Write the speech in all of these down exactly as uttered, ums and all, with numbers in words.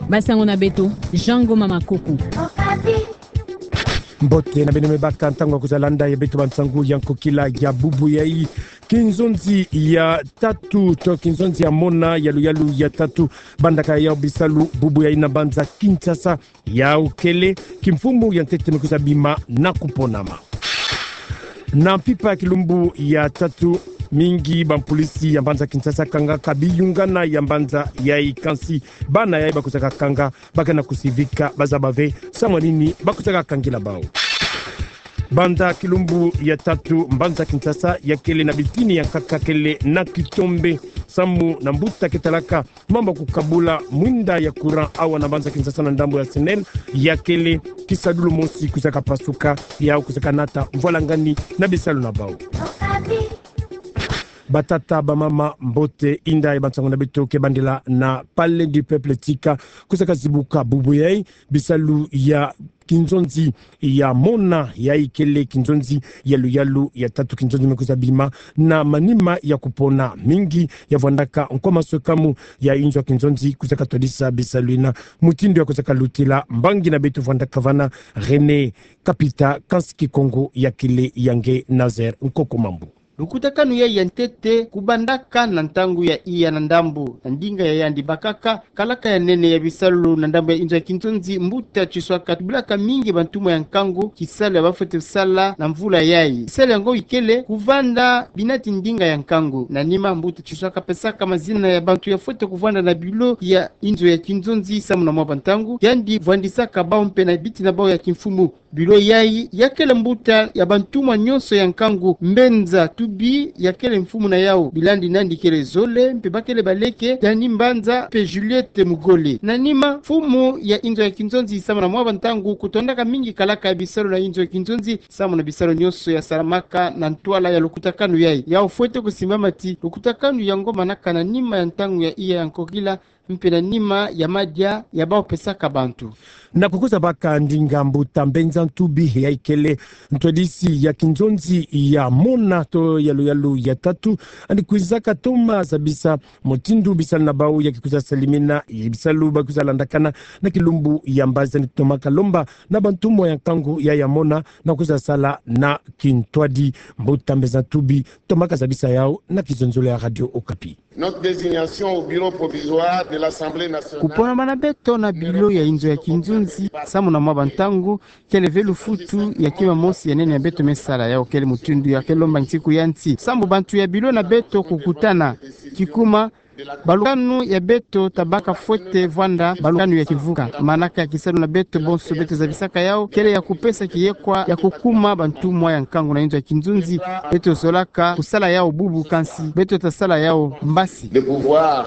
Ba sango na beto, Jean Ngoma Makoko. Mbote na beno me baka ntangu ya kwiza landa ya beto bansangu ya nkokila ya bubu yai. Kinzonzi ya tatu, to kinzonzi ya mona ya luyalu ya tatu, bandaka yau bisalu bubu yai na mbanza Kinshasa, yau kele kimfumu ya ntete me kwiza bima na kuponama. Na mpimpa ya kilumbu ya tatu, mingi bampolisi ya mbanza Kinshasa kangaka biyungana ya mbanza yai, kansi bana yai bakwizaka kanga, bakana kusivika, bazaba ve samu na nini bakwizaka kangila bau. Banda kilumbu ya tatu, mbanza Kinshasa yakele na bitini ya nkaka kele na kitombe samu na mbuta ke talaka mambu ya kukabula mwinda ya courant awa na mbanza Kinshasa na ndambu ya SNEL, yakele kisadulu mosi kwizaka pasuka, yau kwizaka nata mvwalangani na bisalu na bau. Batata, bamama, mbote, inda ya bansangu na beto ke bandela na Palais du Peuple, tika kwizaka zibuka bubu yai bisalu ya kinzonzi ya mona yai kele kinzonzi ya luyalu ya tatu, kinzonzi me kwiza bima na manima ya kupona. Mingi ya vwandaka nko maswekamu ya inzo ya kinzonzi kwizaka twadisa bisalu ina. Mutindu ya kwizaka lutila, mbangi na beto vwandaka vana, René Kapita, kansi Kikongo yakele ya nge Nazaire Nkoko Mambu. Lukutakanu yai ya ntete kubandaka na ntangu ya iya na ndambu na ndinga ya yandi bakaka, kalaka ya nene ya bisalu na ndambu ya inzo ya kinzonzi, mbuta Tshiswaka tubulaka mingi bantumwa ya nkangu kisalu ya bafwete sala na mvula yai. Kisalu yango ikele kuvanda binati ndinga ya nkangu. Na nima, mbuta Tshiswaka pesaka mazina ya bantu ya fwete kuvanda na bilo ya inzo ya kinzonzi samu na mwa bantangu, yandi vwandisaka bau mpe na biti na bau ya kimfumu. Bilo yai yakele mbuta ya bantumwa nyonso ya nkangu. Mbenza Tubi yakele mfumu na yau. Bilandi nandi kele zole, mpe bakele baleke, Dani Mbanza mpe Juliette Mugole. Na nima, mfumu ya inzo ya kinzonzi samu na mwa bantangu kutondaka mingi kalaka ya bisalu na inzo ya kinzonzi samu na bisalu nyonso ya salamaka na ntwala ya lukutakanu yai. Yau fwete kusimbama ti lukutakanu yango manaka na nima ya ntangu ya iya ya nkokila, mpe na nima ya madia ya bau pesaka bantu. Na kukwiza baka ndinga, mbuta Mbenza Ntubi yai kele ntwadisi ya kinzonzi ya mona to ya luyalu ya tatu, yandi kwizaka toma zabisa mutindu bisalu na bau ya kikwiza salimina, bisalu bakwiza landakana na kilumbu ya mbazi. Yandi tomaka lomba na bantumwa ya nkangu ya ya mona na kwiza sala na kintwadi. Mbuta Mbenza Ntubi tomaka zabisa yau na kizonzolo ya Radio Okapi. Notre désignation au bureau provisoire de l'Assemblée nationale. Kuponama na beto na bilo ya inzo ya kinzonzi samu na mwa bantangu kele ve lufutu ya kima mosi ya nene ya beto me sala. Yau kele mutindu ya ke lomba nsiku ya nsi sambu bantu ya bilo na beto kukutana. Kikuma, balukanu ya beto tabaka fwete vwanda balukanu ya kivuka. Manaka ya kisalu na beto bonso beto zabisaka yau kele ya kupesa kiyekwa ya kukuma bantumwa ya nkangu na inzo ya kinzonzi. Beto zolaka kusala yau bubu, kansi beto tasala yau mbasi. De pouvoir.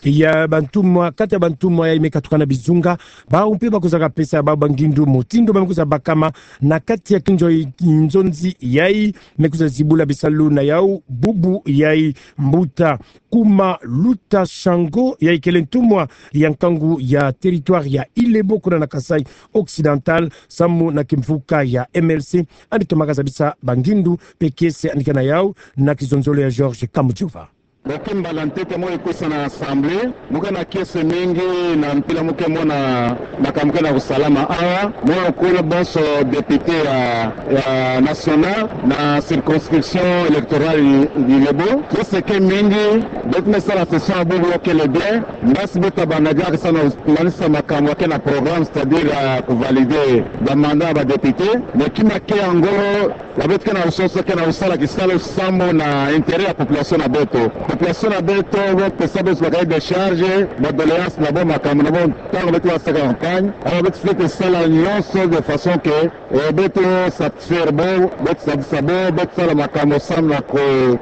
Ya bantumwa, kati ya bantumwa yai me katukana bizunga, bau mpe bakwizaka pesa bau bangindu mutindu ba me kwiza bakama na kati ya kinzo, kinzonzi yai me kwiza zibula bisalu na yau bubu yai. Mbuta Kuma Luta Shango yai kele ntumwa ya nkangu ya territoire ya Ilebo kuna na Kasaï Occidental samu na kimvuka ya M L C, yandi tomaka zabisa bangindu mpe kiese yandi ke na yau na kizonzolo ya Georges Kamujova. Bo ke mbala ntete mo ikusa na Assemblée, mo ke na kiese mingi na mpila mo ke mona makambu ke na kusalama awa. Mo kula bonso député ya, ya national na circonscription électorale ya Ilebo. Kiese ke mingi, beto me sala session bubu yo kele bien. Mbasi beto tabanda diaka samu na kumanisa makambu ke na programme, c'est-à-dire, euh, kuvalider ba mandat ya ba député. Mais kima ke ya ngolo, ya beto ke na kusosa ke na kusala kisalu samu na intérêt ya population na beto. Population na beto, bo pesa beto ba cahier de charge, ba doléances na bo, makambu na bo, ntangu beto basaka campagne. Alors beto fwete sala nyonso de façon que, eh, beto satisfaire bo, beto sadisa bo, beto sala makambu samu na ku,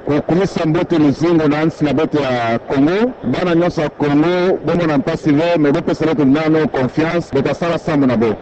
kukumisa mbote luzingu na nsi na beto ya Congo. Bana nyonso ya Congo bo mona mpasi ve, mais bo pesa beto nanu confiance, beto tasala samu na bo.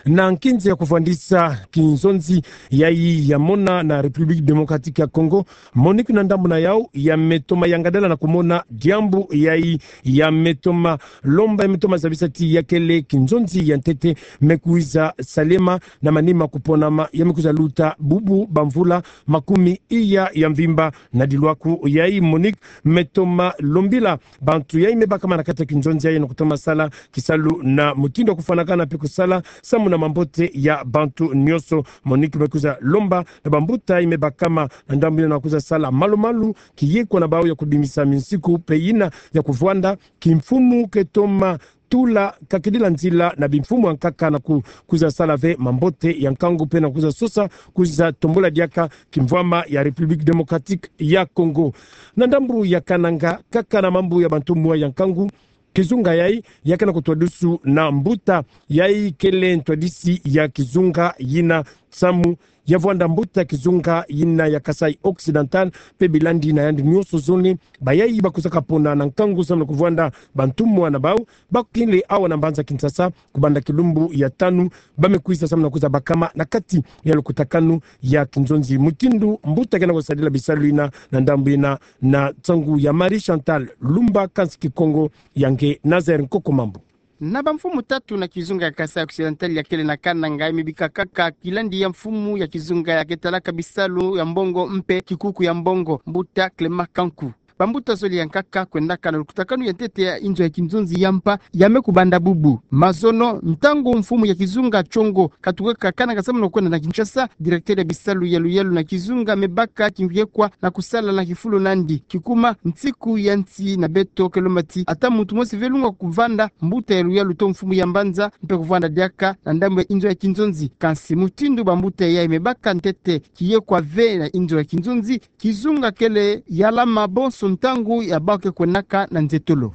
Na nkinzi ya kuvwandisa kinzonzi yayi ya mona na République Démocratique ya Congo, MONUC na ndambu na yau ya me toma yangadala na kumona diambu yayi ya me toma lomba, ya me toma zabisa ti ya kele kinzonzi ya ntete me kwiza salema na manima kuponama, ya me kwiza luta bubu bamvula makumi iya ya mvimba. Na dilwaku yayi, MONUC me toma lombila bantu yayi me bakama na kati ya kinzonzi yayi na kutoma sala kisalu na mutindu ya kufwanakana mpe kusala samu na mambote ya bantu nyonso. MONUC me kwiza lomba na bambuta yayi me bakama na ndambu yina na kwiza sala malu-malu kiyekwa na bau ya kubimisa minsiku mpe yina ya kuvwanda kimfumu ke toma tula kakidila nzila na bimfumu ya nkaka na ku-, kwiza sala ve mambote ya nkangu mpe na kwiza sosa, kwiza tombula diaka kimvwama ya République Démocratique ya Congo. Na ndambu ya Kananga, kaka na mambu ya bantumwa ya nkangu, kizunga yayi ya ke na kutwadusu na mbuta yayi kele ntwadisi ya kizunga yina samu ya vwanda mbuta kizunga yina ya Kasaï Occidental mpe bilandi na yandi nyonso zole, bayayi ba kwizaka pona na nkangu samu na kuvwanda bantumwa na bau, ba kele awa na mbanza Kinshasa, kubanda kilumbu ya tanu, ba me kwiza samu na kwiza bakama na kati ya lukutakanu ya kinzonzi. Mutindu mbuta ke na kusadila bisalu yina na ndambu yina, na nsangu ya Marie Chantal Lumba, kansi Kikongo ya nge Nazaire Nkoko Mambu. Na bamfumu tatu na kizunga ya Kasaï Occidental ya kele na Kananga, ya me bika kaka kilandi ya mfumu ya kizunga ya ke talaka bisalu ya mbongo mpe kikuku ya mbongo, mbuta Clément Kanku. Bambuta zole ya nkaka kwendaka na lukutakanu ya ntete ya inzo ya kinzonzi ya mpa ya me kubanda bubu. Mazono, ntangu mfumu ya kizunga Congo katukaka Kananga samu na kwenda na Kinshasa, directeur ya bisalu ya luyalu na kizunga me baka kiyekwa na kusala na kifulu nandi. Kikuma, nsiku ya nsi na beto ke lomba ti ata muntu mosi ve lunga kuvanda, mbuta ya luyalu to mfumu ya mbanza mpe kuvanda diaka na ndambu ya inzo ya kinzonzi. Kansi mutindu bambuta yayi me baka ntete kiyekwa ve na inzo ya kinzonzi, kizunga kele ya lama bonso ntangu ya bau ke kwendaka na nzetolo.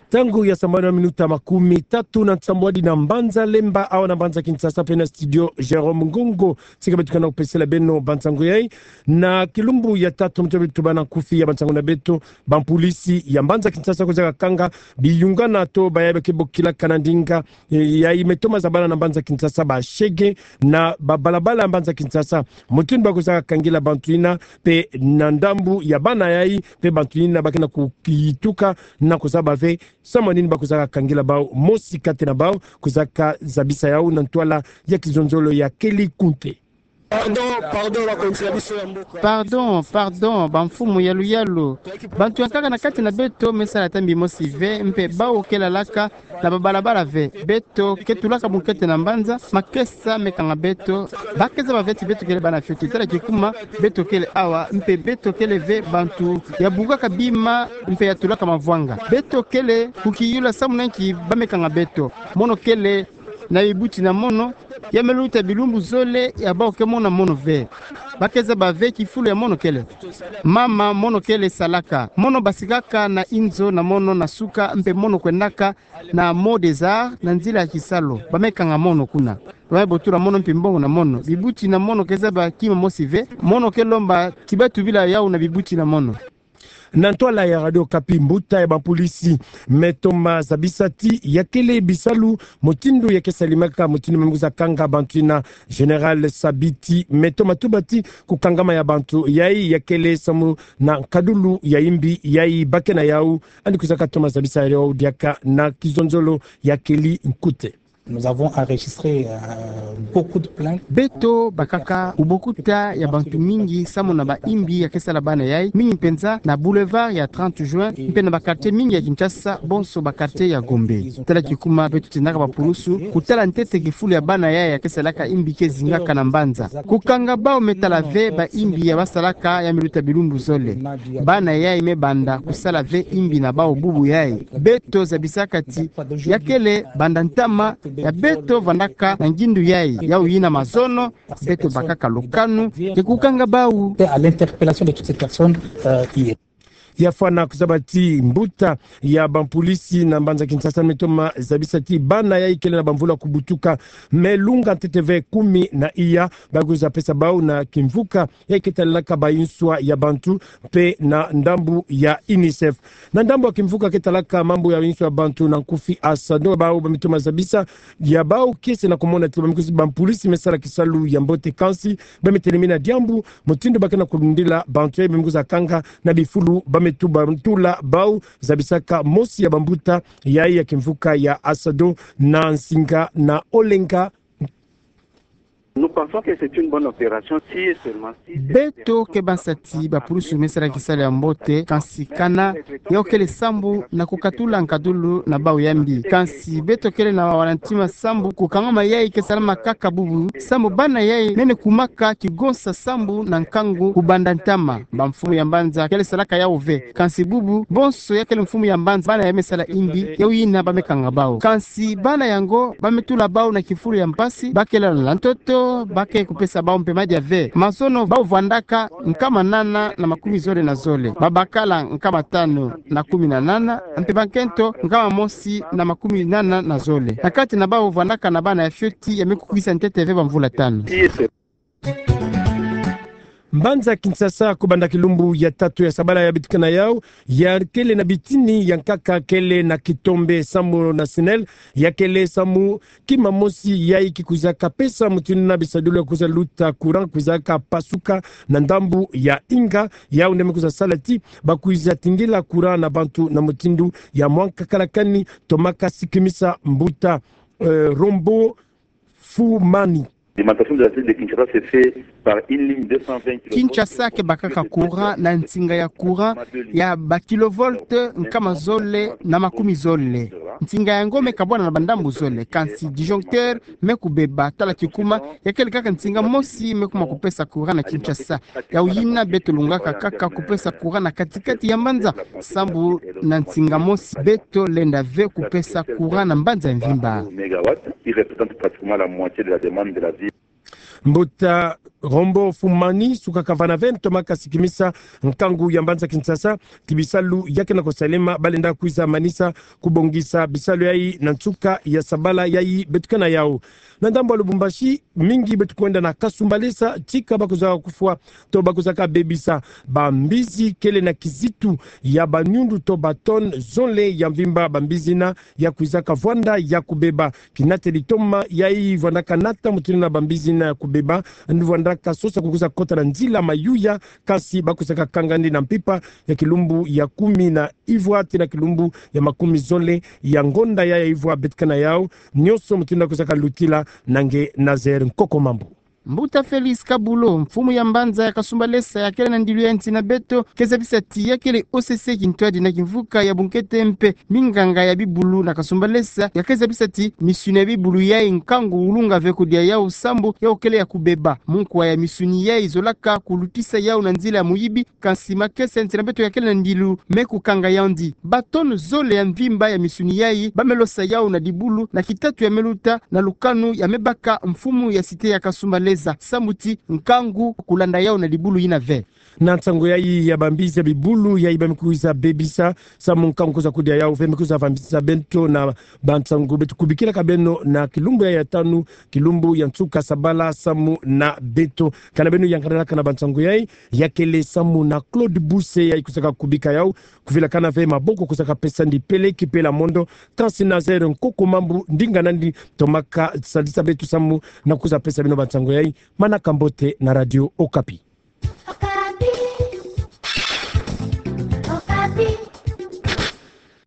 Ntangu ya sambanu na minuta makumi tatu na nsambwadi na mbanza Lemba, awa na mbanza Kinshasa, mpe na studio Jérôme Ngongo. Sika beto ke na kupesela beno bansangu yayi. Na kilumbu ya tatu, mutindu beto tubana nkufi ya bansangu na beto, bampulisi ya mbanza Kinshasa kwizaka kanga biyungana to bayayi ba ke bokilaka na ndinga, eh, yayi me toma zabana na mbanza Kinshasa, ba shege na babalabala ya mbanza Kinshasa. Mutindu ba kwizaka kangila bantu yina, mpe na ndambu ya bana yayi, mpe bantu yina ba ke na kukituka na kuzaba ve samu na nini ba kwizaka kangila bau, mosi kati na bau kwizaka zabisa yau na ntwala ya kizonzolo ya Kelly Kunte. Pardon, pardon, bakonzi ya biso ya mboka. Pardon, pardon, bamfumu ya luyalu. Bantu ya nkaka na kati na beto me sala ata mbi mosi ve, mpe bau ke lalaka na babalabala ve. Beto ke tulaka bunkete na mbanza, makesa me kanga beto. Ba ke zaba ve ti beto kele bana fioti. Tala kikuma, beto kele awa, mpe beto kele ve bantu ya bukaka bima, mpe ya tulaka mavwanga. Beto kele kukiyula samu na nki ba me kanga beto. Mono kele na bibuti na mono, ya me luta bilumbu zole, ya bau ke mona mono ve. Ba ke zaba ve kifulu ya mono kele. Mama, mono kele salaka. Mono basikaka na inzo na mono na suka, mpe mono kwendaka na Mont des Arts na nzila ya kisalu. Ba me kanga mono kuna. Ba me botula mono mpi mbongo na mono. Bibuti na mono ke zaba kima mosi ve. Mono ke lomba ti ba tubila yau na bibuti na mono. Na ntwala ya Radio Okapi, mbuta ya bampulisi me toma zabisa ti ya kele bisalu, mutindu ya ke salemaka, mutindu me kwiza kanga bantu yina, Général Sabiti me toma tuba ti kukangama ya bantu yayi ya kele samu na nkadulu ya imbi yayi ba ke na yau. Yandi kwizaka toma zabisa yau diaka na kizonzolo ya Kelly Kunte. Nous avons enregistré, euh, beaucoup de plaintes. Beto bakaka bubokuta ya bantu mingi samu na baimbi ya ke sala bana yayi, mingi mpenza na boulevard ya trente juin, mpe na ba quartiers mingi ya Kinshasa, bonso ba quartiers ya Gombe. Tala kikuma beto tendaka bapulusu kutala ntete kifulu ya bana yayi ya ke salaka imbi ke zingaka na mbanza. Kukanga bau me tala ve baimbi ya ba salaka ya me luta bilumbu zole. Bana yayi me banda kusala ve imbi na bau bubu yayi. Beto zabisaka ti ya kele banda ntama ya beto vandaka na ngindu yayi. Yau yina mazono, beto bakaka lukanu ya kukanga bau. Et à l'interpellation de toutes ces personnes, euh, hier. Ya fwana kuzaba ti mbuta ya bampolisi na mbanza Kinshasa me toma zabisa ti bana yayi kele na bamvula kubutuka me lunga ntete ve kumi na iya, ba kwiza pesa bau na kimvuka yayi ke talelaka bayinswa ya bantu mpe na ndambu ya UNICEF. Na ndambu ya kimvuka ke talaka mambu ya bayinswa ya bantu na nkufi ASADO, bau ba me toma zabisa ya bau kiese na kumona ti ba me kwiza, bampolisi me sala kisalu ya mbote, kansi ba me telemina diambu mutindu ba ke na kulundila bantu yayi ba me kwiza kanga na bifulu ba me tuba ntula bau, zabisaka mosi ya bambuta yayi ya kimvuka ya ASADO na nsinga na Olenga. Nous pensons que c'est une bonne opération si et seulement si... Beto ke bansa ti bapulusu me sala kisalu ya mbote, kansi kana yau kele sambu na kukatula nkadulu na bau ya mbi. Kansi beto kele na wana ntima sambu kukangama yayi ke salama kaka bubu, sambu bana yayi nene kumaka kigonsa sambu na nkangu kubanda ntama. Bamfumu ya mbanza kele salaka yau ve. Kansi bubu, bonso ya kele mfumu ya mbanza, bana ya me sala imbi, yau yina ba me kanga bau. Kansi bana yango ba me tula bau na kifulu ya mpasi, ba ke lala na ntoto, ba ke kupesa bau mpe madia ve. Mazono bau vwandaka nkama nana na makumi zole na zole. Babakala nkama tanu na kumi na nana, mpe bankento nkama mosi na makumi nana na zole. Na kati na bau vwandaka na bana ya fioti ya me kukwisa ntete ve bamvula tanu. Mbanza Kinshasa, kubanda kilumbu ya tatu ya sabala ya betukana yau, ya kele na bitini ya nkaka kele na kitombe, samu na SNEL, ya kele samu kima mosi yayi ki kwizaka pesa mutindu na bisadulu ya kwiza luta courant kwizaka pasuka na ndambu ya Inga, yau nde me kwiza sala ti ba kwiza tingila courant na bantu na mutindu ya mwa nkakala kani. Tomaka sikimisa mbuta, eh, Rombo Fumani. L'alimentation de la ville de Kinshasa se fait par une ligne deux cent vingt kilovolts. Kinshasa ke bakaka courant na nsinga ya courant ya ba kilovolts nkama zole na makumi zole. Nsinga yango me kabwana na bandambu zole, kansi disjoncteur me kubeba. Tala kikuma, ya kele kaka nsinga mosi me kuma kupesa courant na Kinshasa. Yau yina beto lungaka kaka kupesa courant na kati-kati ya mbanza, sambu na nsinga mosi beto lenda ve kupesa courant na mbanza ya mvimba. Mbuta Rombo Fumani, sukaka vana ve ntomaka sikimisa nkangu ya mbanza Kinshasa ti bisalu ya ke na kusalema, ba lenda kwiza manisa kubongisa bisalu yayi na nsuka ya sabala yayi betukana yau. Na ndambu ya Lubumbashi, mingi beto kwenda na Kasumbalesa, tika ba kwizaka kufwa to ba kwizaka bebisa bambizi kele na kizitu ya banyundu to ba tonnes zole ya mvimba, bambizi yina ya kwizaka vwanda ya kubeba. Kinateli toma yayi vwandaka nata mutindu na bambizi yina ya kubeba, yandi vwandaka sosa kukwiza kota na nzila mayuya, kansi ba kwizaka kanga yandi na mpimpa ya kilumbu ya kumi na ivwa tii na kilumbu ya makumi zole ya ngonda ya, ya ivwa betukana yau. Nionso mutindu ya kwizaka lutila na nge Nazaire Nkoko Mambu. Mbuta Felix Kabulo, mfumu ya mbanza ya Kasumbalesa, ya kele na ndilu ya nsi na beto, ke zabisa ti ya kele O C C kintwadi na kimvuka ya bunkete mpe minganga ya bibulu na Kasumbalesa, ya ke zabisa ti misuni ya bibulu yayi nkangu ulunga ve kudia yau sambu yau kele ya kubeba. Munkwa ya misuni yayi zolaka kulutisa yau na nzila ya muyibi, kansi makesa ya nsi na beto ya kele na ndilu me kukanga yandi. Ba tonnes zole ya mvimba ya misuni yayi ba me losa yau na dibulu na kitatu ya me luta na lukanu ya me baka mfumu ya cité ya Kasumbalesa, samu ti nkangu kulanda yau na dibulu yina ve. Na nsangu yayi ya bambizi ya bibulu yayi ba me kwiza bebisa, samu nkangu kwiza kudia yau ve, me kwiza vambisa beto na bansangu beto kubikilaka beno na kilumbu ya, ya tanu, kilumbu ya nsuka sabala, samu na beto. Kana beno yangalalaka na bansangu yayi, ya kele samu na Claude Buse yayi kwizaka kubika yau, kuvilakana ve maboko kwizaka pesa yandi pele kipela mondo, kansi Nazaire Nkoko Mambu, ndinga nandi, tomaka sadisa beto samu na kwiza pesa beno bansangu yayi. Manaka mbote na Radio Okapi.